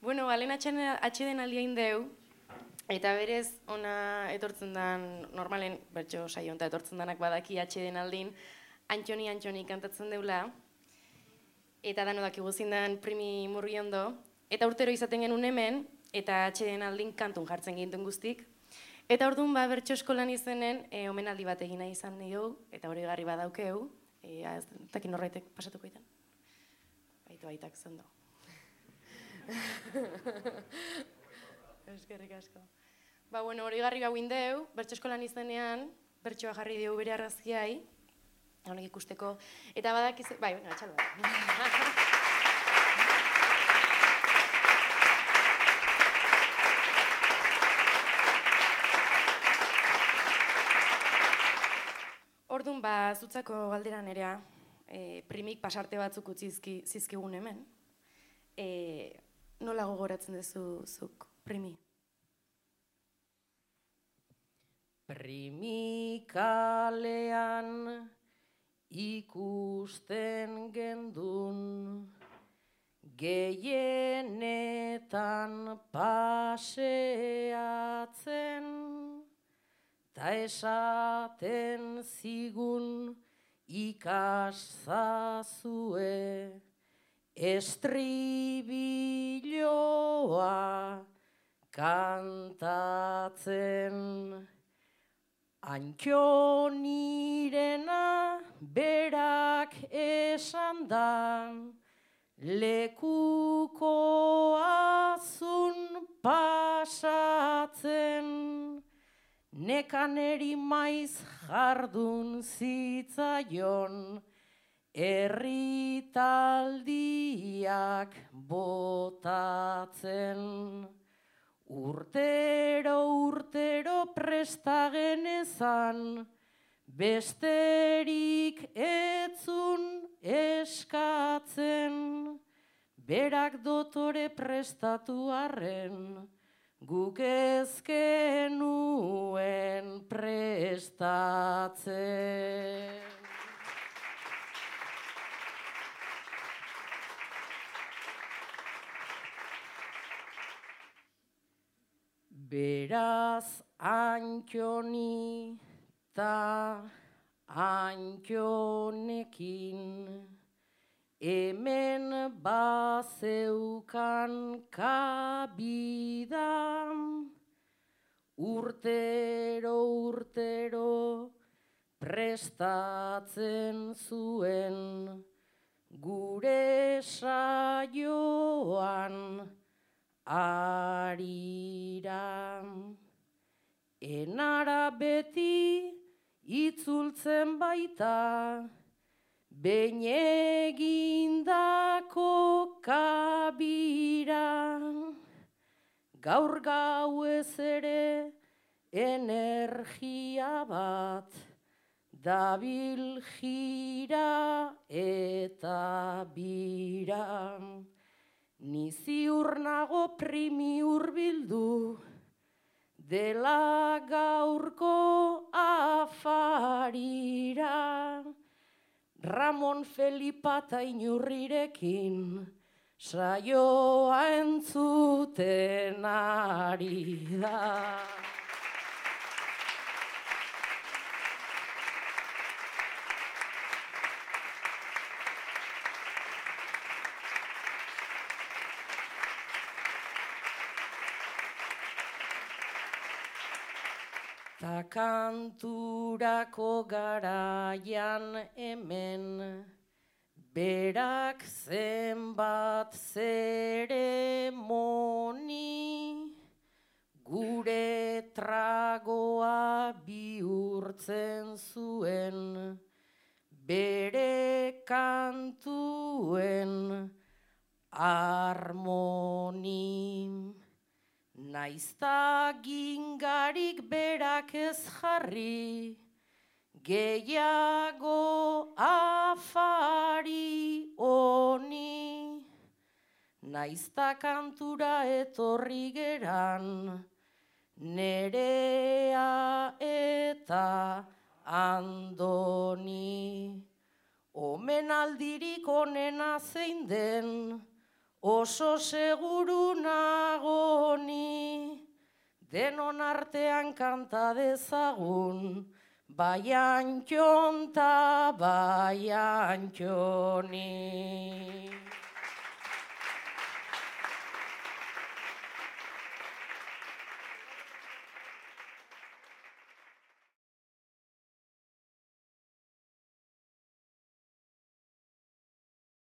Bueno, balen atxeden aldiain deu, eta berez ona etortzen dan, normalen bertso saio honta etortzen danak badaki atxeden aldin, Antxoni kantatzen deula, eta dano dakigu zindan Primi Murgiondo, eta urtero izaten genuen hemen, eta atxeden aldin kantun jartzen gintuen guztik. Eta orduan bertso eskolan izenen omenaldi bat egina izan dugu, eta hori garri badaukeu, ez dakin horreitek pasatuko itan. Baitu aitak zondo. Eskerrik asko. Bueno, hori garri gauin deu, bertso eskolan izenean, bertsoa jarri dugu bere arrazkiai, honek ikusteko, eta badakiz... Bai, atxalo bat. Orduan, zutzako galdera nerea, primik pasarte batzuk utzi zizkigun hemen. Nola gogoratzen duzu zuk, Primi? Primikalean ikusten gendun, gehienetan paseatzen, ta esaten zigun ikaszazue estribilloa kantatzen. Antxonirena berak esan da, lekukoazun pasatzen, nekaneri maiz jardun zitzaion, erritaldiak botatzen. Urtero presta genezan, besterik etzun eskatzen, berak dotore prestatu arren, guk ez genuen prestatzen. Beraz Antxoni ta Antxonekin hemen bazeukan kabidan, urtero prestatzen zuen gure saioan arira. Enara beti itzultzen baita, behin egindako kabira. Gaur gauez ere energia bat, dabil jira eta bira. Ni ziur nago Primi hurbildu, dela gaurko afarira. Ramon Felipa eta Inurrirekin saioa entzuten ari da. Ta kanturako garaian hemen, berak zenbat zeremoni, gure tragoa bihurtzen zuen, bere kantuen harmoni. Naizta gingarik berak ez jarri, gehiago afari honi. Naizta kantura etorri geran, Nerea eta Andoni. Omenaldirik onena zein den, oso seguru denon artean kanta dezagun, bai Antxon ta bai Antxoni.